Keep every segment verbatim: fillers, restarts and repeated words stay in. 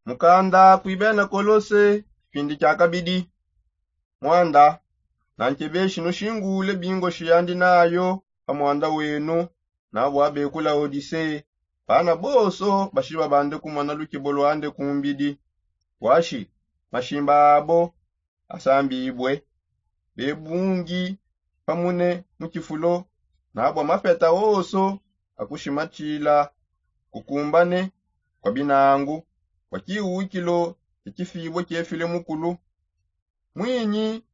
Mukanda kuibena kolose, kipindi kia kabidi. Mwanda, nankebeshi nushingule bingoshi yandi nayo pa mwanda wenu. Nabwa bekula odise, bana boso bashiba bande kumona lukibo lwande kumbidi. Bwashi mashimba abo asambibwe, bebungi pamune mu kifulo. Nabwa mapeta oso akushimatshila kukumbane kwa binangu, kwa kiwukilo kya kifibwe kyefile mukulu. Mwinyi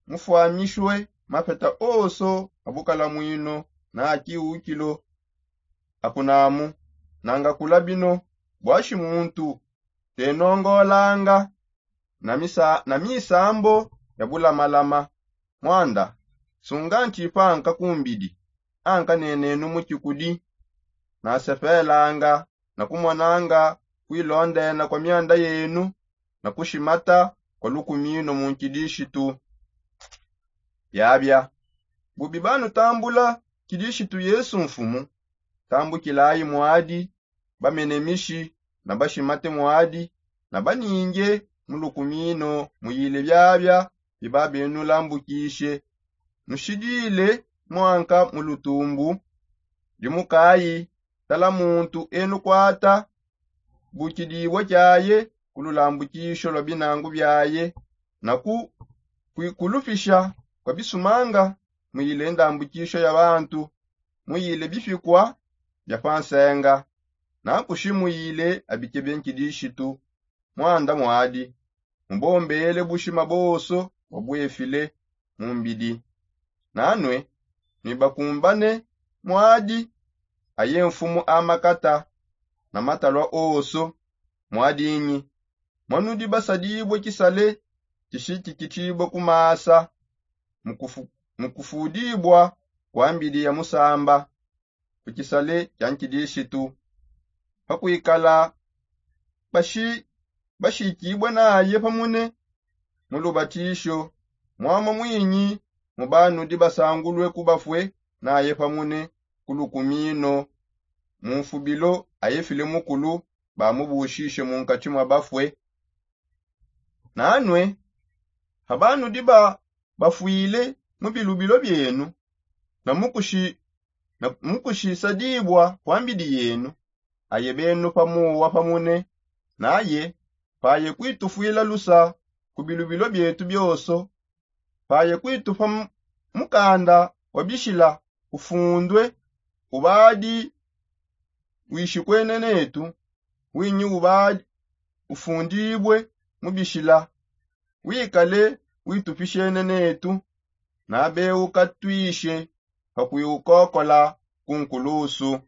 mufwamishwe mapeta oso abukala mwino na kiwukilo akunamu. Nangakula bino, bwashi muntu tenongolanga na misambo ya bulamalama. Mwanda, sunga ntshipa anka kumbidi anka nenenu mu tshikudi. Nasepelanga na kumonanga kuilondena kwa mianda yenu na kushimata kwa lukumino mu nkidishitu. Biabia bubi banutambula kidishitu yesu mfumu, tambukilayi mwadi bamenemishi na bashimate mwadi na baninge mu lukumino muyile biabia bibabenulambukishe. Nushidile mwanka mu lutumbu. Dimukayi tala muntu enukwata bukidibwa kiaye ku lulambukisho lwa binangu biaye na ku kuikulupisha kwa bisumanga muyile ndambukisho ya bantu muyile bipikwa bya pa nsenga. Nakushi muyile abikebe nkidishitu mwanda mwadi mubombele bushima boso wabwefile mu mbidi. Nanue nuibakumbane mwadi aye mfumu a makata na matalua oso. Mwadinyi mwanudi basadibue kisale kishitikitshibue ku masa mu kufudibua kwa mbidi ya musamba ku kisale kia nkidishitu pakuikala bashikibue naye pamune mu lubatisho. Mwama mwinyi mu banudi basangulue ku bafue naye pamune ku lukumino mu mfubilo ayefile mukulu bamubushishe mu nkatshi mwa bafue. Nanue ha banudi bafuile mu bilubilo bienu na mukushisadibua kwa mbidi yenu aye benu pamuwa pamune naye paye kuitufuila lusa ku bilubilo bietu bioso. Paye kuitupa mukanda wa bishila ufundue ubadi wishikwene netu winyi ubadi ufundibue mu bishila wikale witupishene netu. Nabeuka twishe pa kuiukokola ku nkulusu.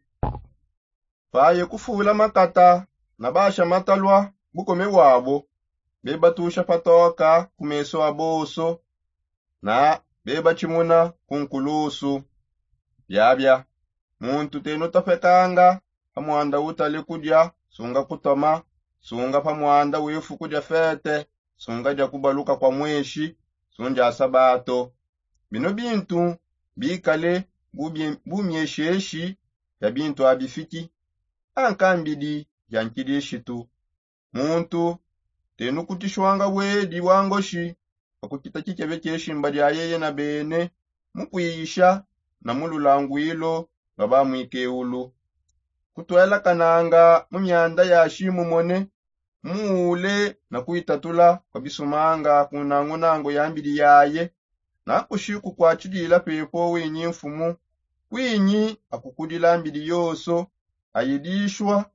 Paye kufula makata na basha matalua bukome bwabo bebatusha patoka ku meso a boso na bebatshimuna ku nkulusu. Biabia muntu tenutopekanga pa mwanda utale kudia sunga kutoma sunga pa mwanda wefu kudia fete sunga dia kubaluka kwa mweshi sundia sabato. Bino bintu bikale bumiesheshi bia bintu abifiki anka mbidi bia nkidishitu. Muntu tenukutishwanga bwedi bwa ngoshi pa kukita kikebe kieshimba dia yeye na bene mu kuiyisha na mu lulanguilo lwa bamwikeulu kutuelakananga mu mianda ya shimumone muule na kuitatula kwa bisumanga ku nangunangu ya mbidi yaye. Nakushi kukwatshidila pepo winyi mfumu kwinyi akukudila mbidi yoso ayidishwa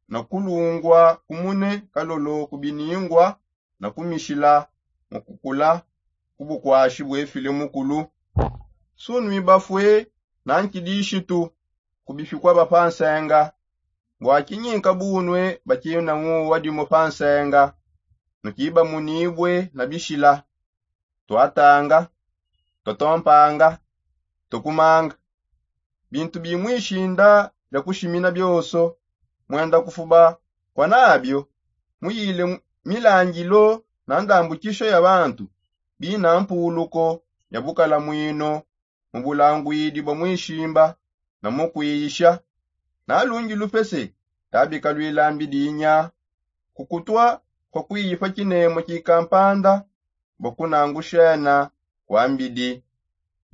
na kulungua kumune kalolo ku biningua na kumishila mu kukula ku bukwashi buefile mukulu. Sunui bafue na nkidishitu ku bipikua ba pa nsenga bua kinyinka bunue bakina nguwa dimue pa nsenga nukibamunibue na bishila tuatanga tuatompanga tukumanga bintu bimwishinda bia kushimina bioso. Muenda kufuba kua nabio muyile milangilo na ndambukisho ya bantu bina mpuluko ya bukala mwino mu bulanguidi bua mwishimba na mu kuiyisha. Na lungi lupese tabika luilambi dinya kukutwa kwa kuifa kinemo kikampanda bua kunangushana kwa mbidi.